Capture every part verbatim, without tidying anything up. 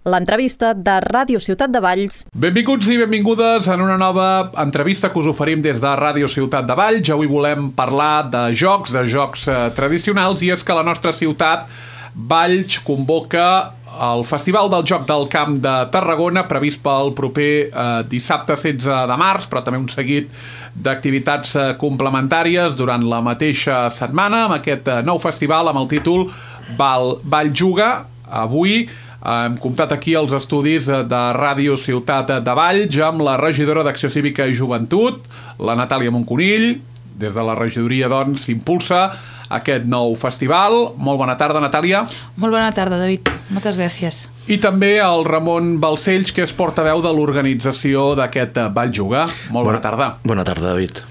l'entrevista de Ràdio Ciutat de Valls. Benvinguts i benvingudes en una nova entrevista que us oferim des de Ràdio Ciutat de Valls. Avui volem parlar de jocs, de jocs eh, tradicionals, i és que la nostra ciutat, Valls, convoca el Festival del Joc del Camp de Tarragona, previst pel proper eh, dissabte setze de març, però també un seguit d'activitats eh, complementàries durant la mateixa setmana, amb aquest eh, nou festival amb el títol Val, Valls Juga. Avui hem comptat aquí als estudis de Ràdio Ciutat de Valls amb la regidora d'Acció Cívica i Joventut, la Natàlia Monconill. Des de la regidoria, doncs, s'impulsa aquest nou festival. Molt bona tarda, Natàlia. Molt bona tarda, David. Moltes gràcies. I també el Ramon Balcells, que és portaveu de l'organització d'aquest Valls Juga. Molt bona, bona tarda. Bona tarda, David.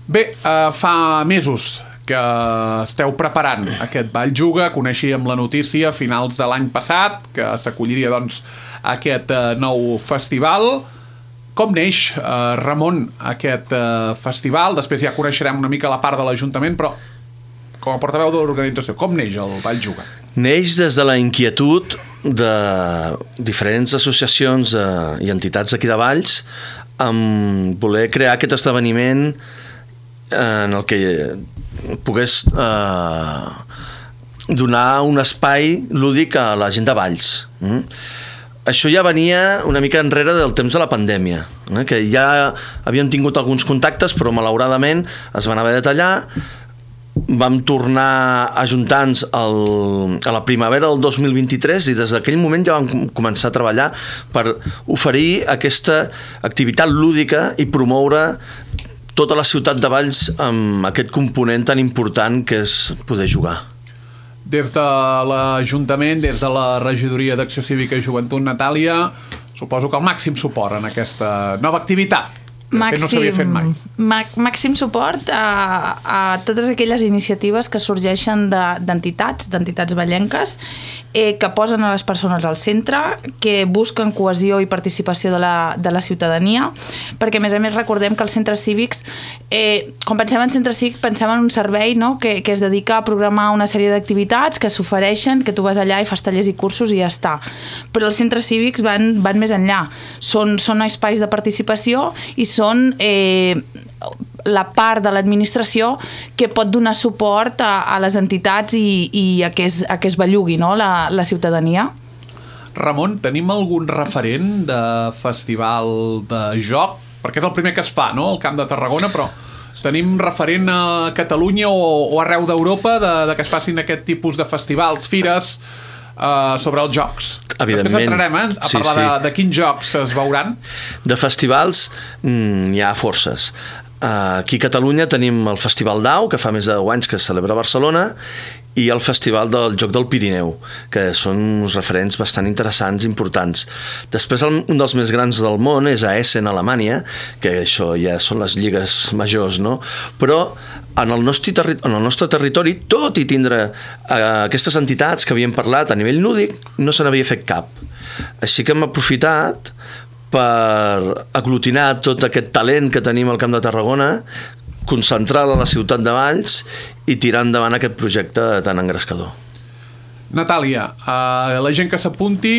Bé, eh, fa mesos que esteu preparant aquest Valls Juga. Coneixíem la notícia a finals de l'any passat que s'acolliria, doncs, aquest eh, nou festival. Com neix, eh, Ramon, aquest eh, festival? Després ja coneixerem una mica la part de l'Ajuntament, però com a portaveu de l'organització, com neix el Valls Juga? Neix des de la inquietud de diferents associacions eh, i entitats aquí de Valls amb voler crear aquest esdeveniment en el que pogués eh, donar un espai lúdic a la gent de Valls. Mm? Això ja venia una mica enrere del temps de la pandèmia, eh? que ja havíem tingut alguns contactes, però malauradament es van haver de tallar. Vam tornar a ajuntar-nos el, a la primavera del dos mil vint-i-tres i des d'aquell moment ja vam començar a treballar per oferir aquesta activitat lúdica i promoure tota la ciutat de Valls amb aquest component tan important que és poder jugar. Des de l'Ajuntament, des de la regidoria d'Acció Cívica i Joventut, Natàlia, suposo que el màxim suport en aquesta nova activitat, que màxim, no s'havia fet mai. Màxim suport a, a totes aquelles iniciatives que sorgeixen d'entitats, d'entitats vallenques, eh, que posen a les persones al centre, que busquen cohesió i participació de la, de la ciutadania, perquè a més a més recordem que els centres cívics, eh, quan pensem en centre cívic pensem en un servei, no?, que, que es dedica a programar una sèrie d'activitats que s'ofereixen, que tu vas allà i fas tallers i cursos i ja està. Però els centres cívics van, van més enllà. Són, són espais de participació i són eh, la part de l'administració que pot donar suport a, a les entitats i, i a, que es, a que es bellugui, no?, la, la ciutadania. Ramon, tenim algun referent de festival de joc? Perquè és el primer que es fa, no?, al Camp de Tarragona, però tenim referent a Catalunya o, o arreu d'Europa de, de que es facin aquest tipus de festivals, fires uh, sobre els jocs? Evidentment. Després entrarem eh, a sí, parlar sí. De, de quins jocs es veuran. De festivals n'hi mm, ha forces. Uh, aquí a Catalunya tenim el Festival d'Au, que fa més de deu anys que es celebra a Barcelona, i el Festival del Joc del Pirineu, que són uns referents bastant interessants, importants. Després, un dels més grans del món és a Essen, a Alemanya, que això ja són les lligues majors, no? Però en el nostre, terri en el nostre territori, tot i tindre eh, aquestes entitats que havíem parlat a nivell lúdic, no se n'havia fet cap. Així que hem aprofitat per aglutinar tot aquest talent que tenim al Camp de Tarragona, concentrar-la a la ciutat de Valls i tirar endavant aquest projecte tan engrescador. Natàlia, eh, la gent que s'apunti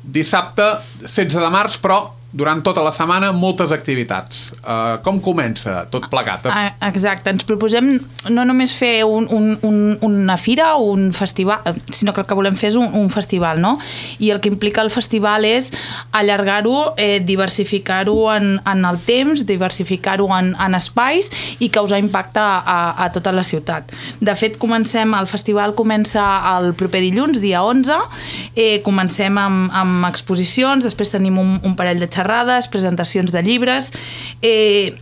dissabte setze de març, però durant tota la setmana moltes activitats. Uh, com comença tot plegat? Exacte, ens proposem no només fer un, un, un, una fira o un festival, sinó que el que volem fer és un, un festival, no? I el que implica el festival és allargar-ho, eh, diversificar-ho en, en el temps, diversificar-ho en, en espais i causar impacte a, a tota la ciutat. De fet, comencem, el festival comença el proper dilluns, dia onze, eh, comencem amb, amb exposicions, després tenim un, un parell de xerrades, presentacions de llibres, eh,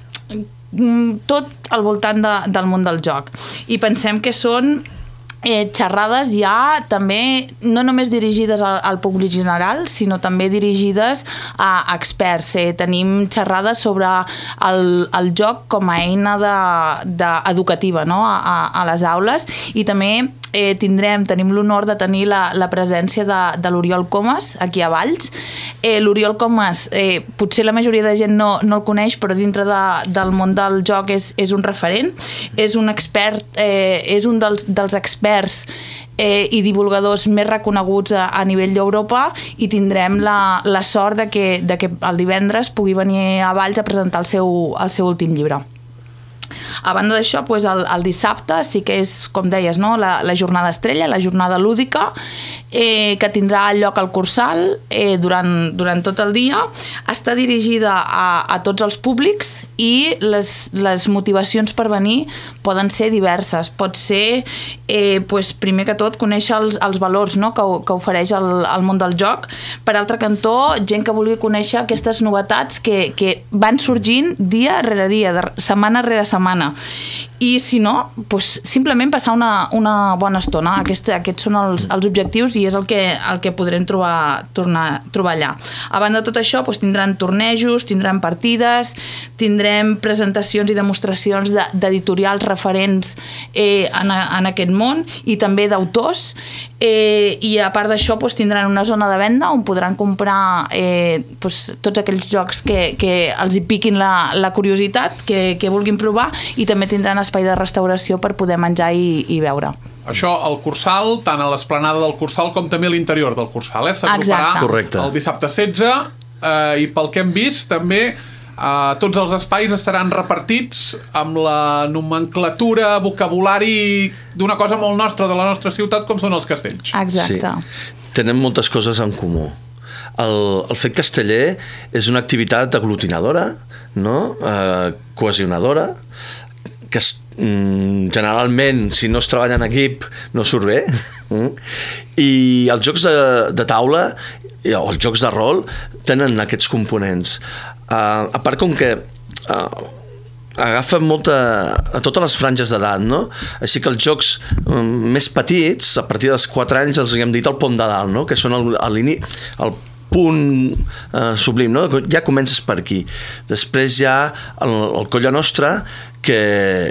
tot al voltant de, del món del joc. I pensem que són eh, xerrades ja també no només dirigides al, al públic general, sinó també dirigides a, a experts. Eh, tenim xerrades sobre el, el joc com a eina de, de educativa, no? a, a, a les aules, i també eh, tindrem, tenim l'honor de tenir la, la presència de, de l'Oriol Comas aquí a Valls. Eh, L'Oriol Comas, eh, potser la majoria de gent no, no el coneix, però dintre de, del món del joc és, és un referent, és un expert, eh, és un dels, dels experts eh, i divulgadors més reconeguts a, a nivell d'Europa, i tindrem la, la sort de que, de que el divendres pugui venir a Valls a presentar el seu, el seu últim llibre. A banda d'això, doncs el, el dissabte sí que és, com deies, no? la, la jornada estrella, la jornada lúdica, eh, que tindrà lloc al Cursal eh, durant, durant tot el dia. Està dirigida a, a tots els públics, i les, les motivacions per venir poden ser diverses. Pot ser, eh, doncs, primer que tot, conèixer els, els valors, no? que, que ofereix el, el món del joc. Per altre cantó, gent que vulgui conèixer aquestes novetats que, que van sorgint dia rere dia, de, setmana rere setmana. I si no, doncs, simplement passar una, una bona estona. Aquest, aquests són els, els objectius, i és el que, el que podrem trobar, tornar, trobar allà. A banda de tot això, doncs, tindran tornejos, tindran partides, tindrem presentacions i demostracions d'editorials referents eh, en, en aquest món, i també d'autors, eh, i a part d'això doncs, tindran una zona de venda on podran comprar eh, doncs, tots aquells jocs que, que els hi piquin la, la curiositat, que, que vulguin provar, i també tindran espai de restauració per poder menjar i, i beure. Això al Cursal, tant a l'esplanada del Cursal com també a l'interior del Cursal, eh? S'agruparà el dissabte setze, eh, i pel que hem vist també eh, tots els espais estaran repartits amb la nomenclatura, vocabulari d'una cosa molt nostra, de la nostra ciutat, com són els castells. Exacte. Sí. Tenem moltes coses en comú. El, el fet casteller és una activitat aglutinadora, no? eh, cohesionadora, que es, mm, generalment, si no es treballa en equip, no surt bé. I els jocs de, de taula o els jocs de rol tenen aquests components. Uh, a part, com que uh, agafen molta, a totes les franges d'edat, no? Així que els jocs um, més petits, a partir dels quatre anys, els hem dit el pom de dalt, no? Que són el, el, el punt eh, sublim, no? Ja comences per aquí. Després hi ha el, el Colla Nostra, que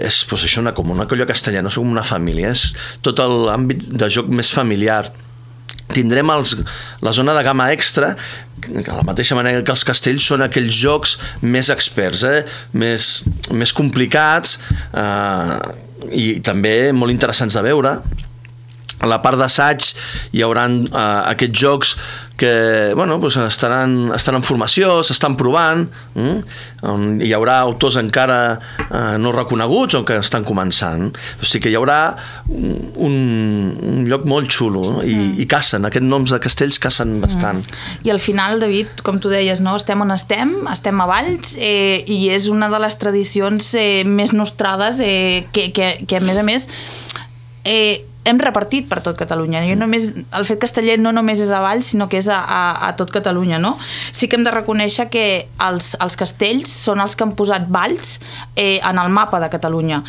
és pues, això, una, com una colla castellana, no? Com una família, és tot l'àmbit de joc més familiar. Tindrem els, la zona de gamma extra, que de la mateixa manera que els castells són aquells jocs més experts, eh? més, més complicats, eh, i també molt interessants de veure. A la part d'assaig hi haurà eh, aquests jocs que bueno, doncs estaran, estan en formació, s'estan provant, mm? on hi haurà autors encara eh, no reconeguts o que estan començant. O sigui que hi haurà un, un lloc molt xulo, no? I, mm. i cacen, aquests noms de castells cacen bastant. Mm. I al final, David, com tu deies, no? estem on estem, estem a Valls, eh, i és una de les tradicions eh, més nostrades eh, que, que, que a més a més eh, hem repartit per tot Catalunya. Jo només, el fet casteller no només és a Valls, sinó que és a, a, a tot Catalunya, no? Sí que hem de reconèixer que els, els castells són els que han posat Valls eh, en el mapa de Catalunya.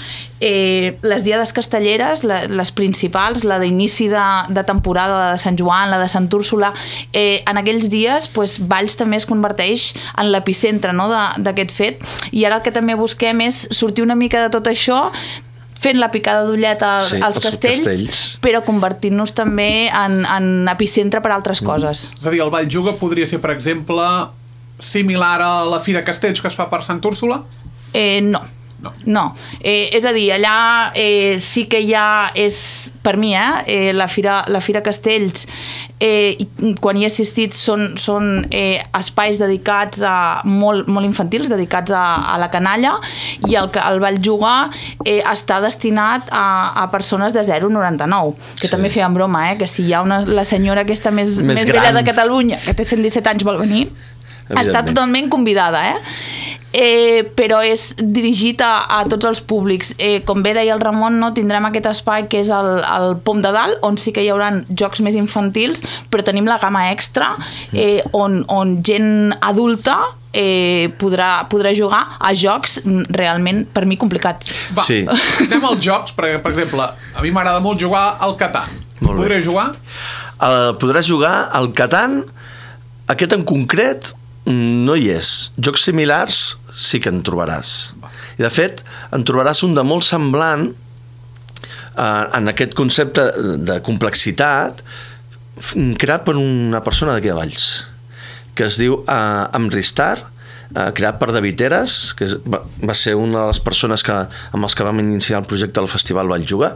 Eh, les diades castelleres, la, les principals, la d'inici de, de temporada, la de Sant Joan, la de Sant Úrsula, eh, en aquells dies pues, Valls també es converteix en l'epicentre, no, d'aquest fet, i ara el que també busquem és sortir una mica de tot això, fent la picada d'ullet als, sí, als castells, castells, però convertint-nos també en, en epicentre per altres coses. Mm. És a dir, el Valljuga podria ser, per exemple, similar a la Fira Castells que es fa per Sant Úrsula? Eh, no. No. no. Eh, és a dir, allà eh, sí que ja és, per mi, eh, eh, la, Fira, la Fira Castells, eh, quan hi he assistit, són, són eh, espais dedicats a molt, molt infantils, dedicats a, a la canalla, i el, el Valljuga eh, està destinat a, a persones de zero a noranta-nou, que sí. També feien broma, eh, que si hi ha una, la senyora aquesta més, més, més vella de Catalunya, que té cent disset anys, vol venir, està totalment convidada, eh? Eh, però és dirigit a, a tots els públics. Eh, com bé deia el Ramon, no, tindrem aquest espai que és el, el Pom de Dalt, on sí que hi haurà jocs més infantils, però tenim la gamma extra, eh, on, on gent adulta eh, podrà, podrà jugar a jocs realment, per mi, complicats. Va, sí. Anem als jocs, per, per exemple, a mi m'agrada molt jugar al Catan. Podré jugar? Uh, podràs jugar al Catan, aquest en concret no hi és. Jocs similars sí que en trobaràs. I de fet, en trobaràs un de molt semblant eh, en aquest concepte de complexitat creat per una persona d'aquí de Valls, que es diu eh, Amristar eh, creat per David Eras, que és, va, va ser una de les persones que, amb els que vam iniciar el projecte del Festival Valljuga,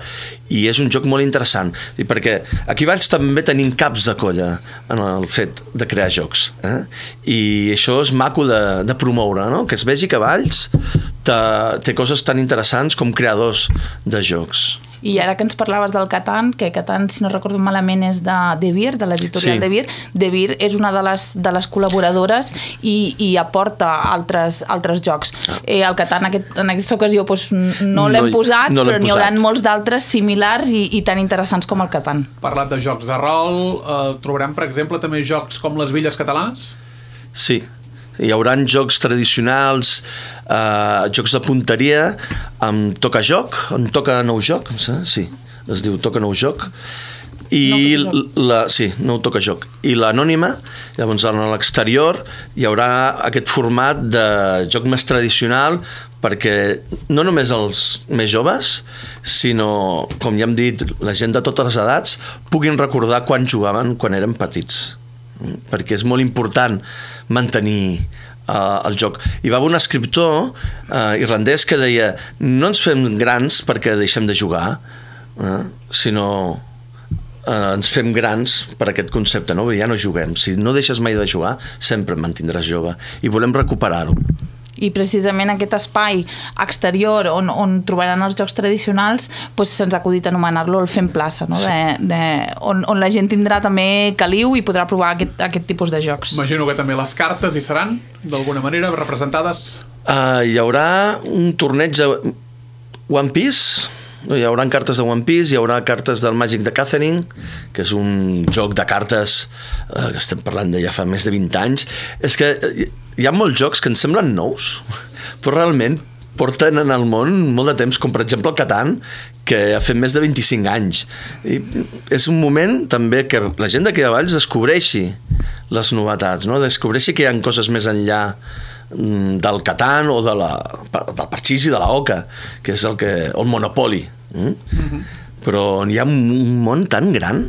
i és un joc molt interessant, i perquè aquí a Valls també tenim caps de colla en el fet de crear jocs, eh? I això és maco de, de promoure, no? Que es vegi que Valls té, té coses tan interessants com creadors de jocs. I ara que ens parlaves del Catan, que Catan, si no recordo malament, és de De Beer, de l'editorial sí. De Beer. De Beer és una de les, de les col·laboradores i, i aporta altres, altres jocs. Ah. Eh, el Catan aquest, en aquesta ocasió doncs, no l'hem no, posat, no però n'hi haurà molts d'altres similars i, i tan interessants com el Catan. Parlat de jocs de rol, eh, trobarem, per exemple, també jocs com les Villes Catalanes? Sí. Hi haurà jocs tradicionals, eh, jocs de punteria, amb toca joc, amb toca nou joc, sí, es diu toca nou joc, i no la, sí, no toca joc. I l'anònima, llavors a l'exterior hi haurà aquest format de joc més tradicional perquè no només els més joves, sinó, com ja hem dit, la gent de totes les edats puguin recordar quan jugaven quan eren petits, perquè és molt important mantenir uh, el joc. Hi va haver un escriptor uh, irlandès que deia no ens fem grans perquè deixem de jugar, uh, sinó uh, ens fem grans per aquest concepte, no? Ja no juguem. Si no deixes mai de jugar, sempre et mantindràs jove. I volem recuperar-ho. I precisament aquest espai exterior on, on trobaran els jocs tradicionals doncs se'ns ha acudit anomenar-lo el Fem Plaça, no? de, de, on, on la gent tindrà també caliu i podrà provar aquest, aquest tipus de jocs. Imagino que també les cartes hi seran d'alguna manera representades. Uh, hi haurà un torneig de One Piece, hi haurà cartes de One Piece, hi haurà cartes del Magic de Catherine, que és un joc de cartes uh, que estem parlant de ja fa més de vint anys. És que hi ha molts jocs que ens semblen nous, però realment porten en el món molt de temps, com per exemple el Catan, que ha fet més de vint-i-cinc anys. I és un moment també que la gent d'aquí de Valls descobreixi les novetats, no? Descobreixi que hi ha coses més enllà del Catan o de la, del parxís i de la oca, que és el, que, el Monopoly. Mm? Mm-hmm. Però hi ha un món tan gran.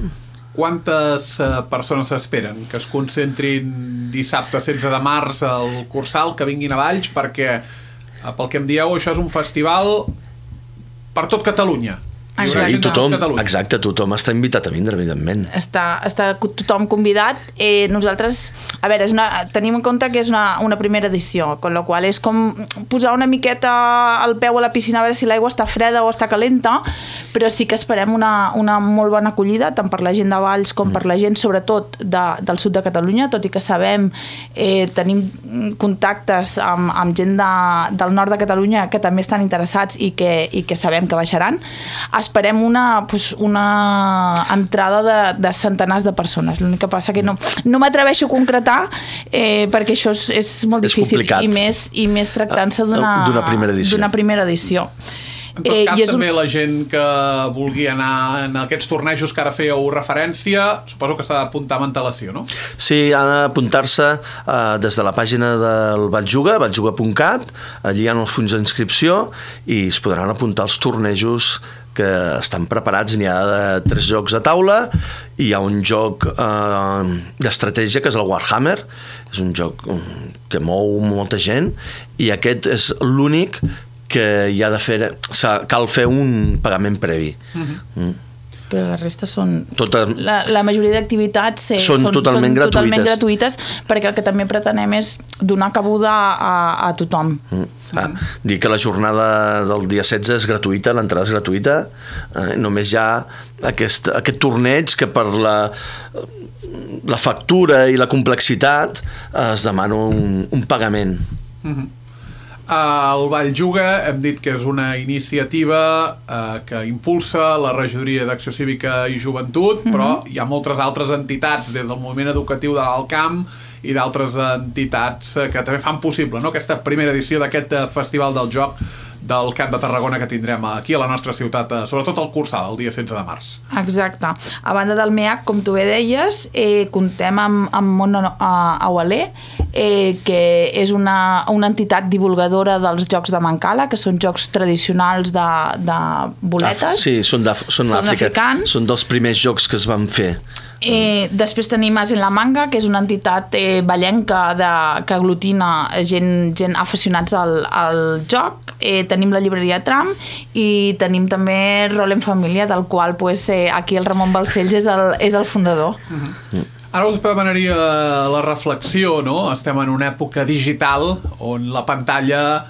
Quantes uh, persones s'esperen que es concentrin dissabte setze de març al Cursal, que vinguin a Valls, perquè, uh, pel que em dieu, això és un festival per tot Catalunya. Sí, i tothom, exacte, tothom està invitat a vindre, evidentment. Està, està tothom convidat. Eh, nosaltres, a veure, és una, tenim en compte que és una, una primera edició, amb la qual és com posar una miqueta el peu a la piscina a veure si l'aigua està freda o està calenta, però sí que esperem una, una molt bona acollida, tant per la gent de Valls com per la gent, sobretot de, del sud de Catalunya, tot i que sabem, eh, tenim contactes amb, amb gent de, del nord de Catalunya que també estan interessats i que, i que sabem que baixaran. Esperem una, pues, una entrada de, de centenars de persones. L'únic que passa que no, no m'atreveixo a concretar eh, perquè això és, és molt és difícil complicat. i més, i més tractant-se d'una primera edició. D'una primera edició. En tot cas, eh, també un... la gent que vulgui anar en aquests tornejos que ara fèieu referència, suposo que s'ha d'apuntar amb antelació, no? Sí, ha d'apuntar-se uh, des de la pàgina del Valljuga, valljuga punt cat, allí hi ha els fulls d'inscripció i es podran apuntar els tornejos que estan preparats. N'hi ha tres jocs a taula i hi ha un joc eh, d'estratègia que és el Warhammer, és un joc que mou molta gent i aquest és l'únic que hi ha de fer, cal fer un pagament previ. Uh-huh. Mm. Però la resta són... Tota... La, la majoria d'activitats eh, són, són, totalment, són gratuïtes. totalment gratuïtes, perquè el que també pretenem és donar cabuda a, a tothom. Mm. Ah, dir que la jornada del dia setze és gratuïta, l'entrada és gratuïta, eh, només hi ha aquest, aquest torneig que per la, la factura i la complexitat eh, es demana un, un pagament. Mm-hmm. El Valljuga hem dit que és una iniciativa eh, que impulsa la Regidoria d'Acció Cívica i Joventut, mm-hmm. però hi ha moltes altres entitats, des del moviment educatiu de l'Alt Camp i d'altres entitats que també fan possible, no?, aquesta primera edició d'aquest Festival del Joc del Camp de Tarragona que tindrem aquí a la nostra ciutat, sobretot al Cursal, el dia setze de març. Exacte. A banda del M E A C, com tu bé deies, eh, comptem amb, amb Món Aualé, eh, que és una, una entitat divulgadora dels jocs de Mancala, que són jocs tradicionals de, de boletes. Ah, sí, són, són, són africans. Són dels primers jocs que es van fer Eh, després tenim As en la Manga, que és una entitat eh, ballenca de, que aglutina gent, gent aficionats al, al joc. Eh, tenim la llibreria Tram i tenim també Rol en Família, del qual pues, eh, aquí el Ramon Balcells és el, és el fundador. Uh-huh. Ara us demanaria la reflexió, no? Estem en una època digital on la pantalla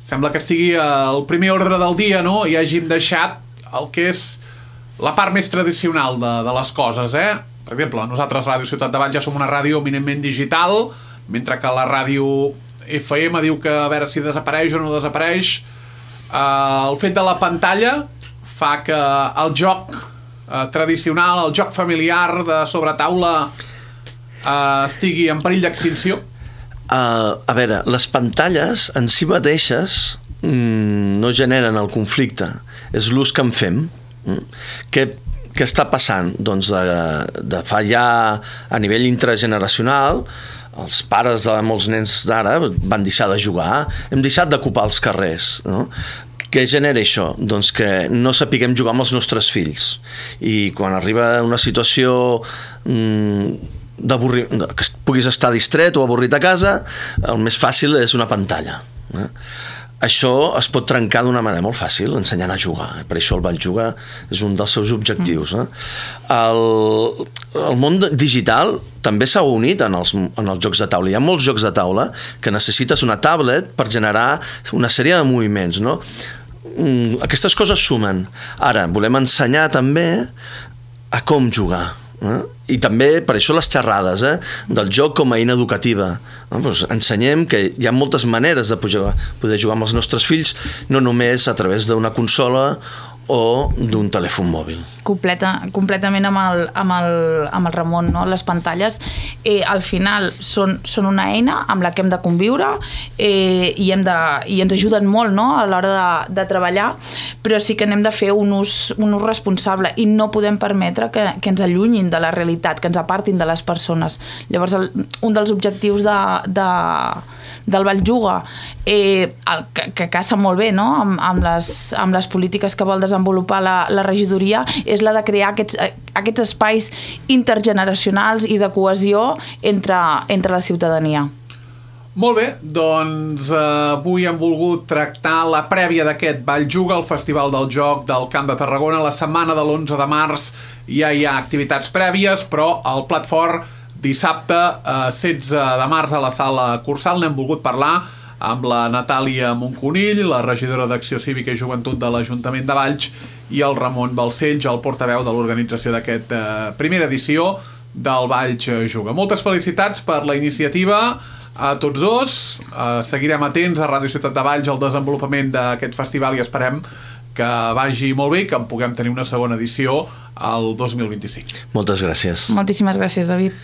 sembla que estigui al primer ordre del dia, no? I hàgim deixat el que és la part més tradicional de, de les coses, eh? Per exemple, nosaltres, Ràdio Ciutat de Valls, ja som una ràdio eminentment digital, mentre que la ràdio F M diu que a veure si desapareix o no desapareix. Uh, el fet de la pantalla fa que el joc uh, tradicional, el joc familiar de sobretaula uh, estigui en perill d'extinció. Uh, a veure, les pantalles en si mateixes mm, no generen el conflicte, és l'ús que en fem. Mm. Què, què està passant? Doncs de, de fa ja a nivell intergeneracional, els pares de molts nens d'ara van deixar de jugar, hem deixat d'ocupar els carrers, no? Què genera això? Doncs que no sapiguem jugar amb els nostres fills, i quan arriba una situació mm, que puguis estar distret o avorrit a casa, el més fàcil és una pantalla. Eh? Això es pot trencar d'una manera molt fàcil, ensenyant a jugar. Per això el Valjuga és un dels seus objectius. Eh? El, el món digital també s'ha unit en els, en els jocs de taula. Hi ha molts jocs de taula que necessites una tablet per generar una sèrie de moviments, no? Aquestes coses sumen. Ara, volem ensenyar també a com jugar. Eh? I també per això les xerrades eh? del joc com a eina educativa. Eh? Pues ensenyem que hi ha moltes maneres de poder, poder jugar amb els nostres fills, no només a través d'una consola o d'un telèfon mòbil. Completa, completament amb el, amb el, amb el Ramon, no? Les pantalles eh, al final són, són una eina amb la que hem de conviure eh, i, hem de, i ens ajuden molt, no? A l'hora de, de treballar, però sí que n'hem de fer un ús, un ús responsable i no podem permetre que, que ens allunyin de la realitat, que ens apartin de les persones. Llavors el, un dels objectius de, de del Valjuga, eh, el, que, que caça molt bé, no? amb, amb, les, amb les polítiques que vol desenvolupar la, la regidoria, és la de crear aquests, aquests espais intergeneracionals i de cohesió entre, entre la ciutadania. Molt bé, doncs eh, avui hem volgut tractar la prèvia d'aquest Valjuga, el Festival del Joc del Camp de Tarragona. La setmana de l'onze de març ja hi ha activitats prèvies, però el plat fort dissabte, eh, setze de març, a la sala Cursal, n'hem volgut parlar amb la Natàlia Monconill, la regidora d'Acció Cívica i Joventut de l'Ajuntament de Valls, i el Ramon Balcells, el portaveu de l'organització d'aquesta eh, primera edició del Valls Juga. Moltes felicitats per la iniciativa a tots dos. Eh, seguirem atents a Ràdio Ciutat de Valls al desenvolupament d'aquest festival i esperem que vagi molt bé i que en puguem tenir una segona edició al dos mil vint-i-cinc. Moltes gràcies. Moltíssimes gràcies, David.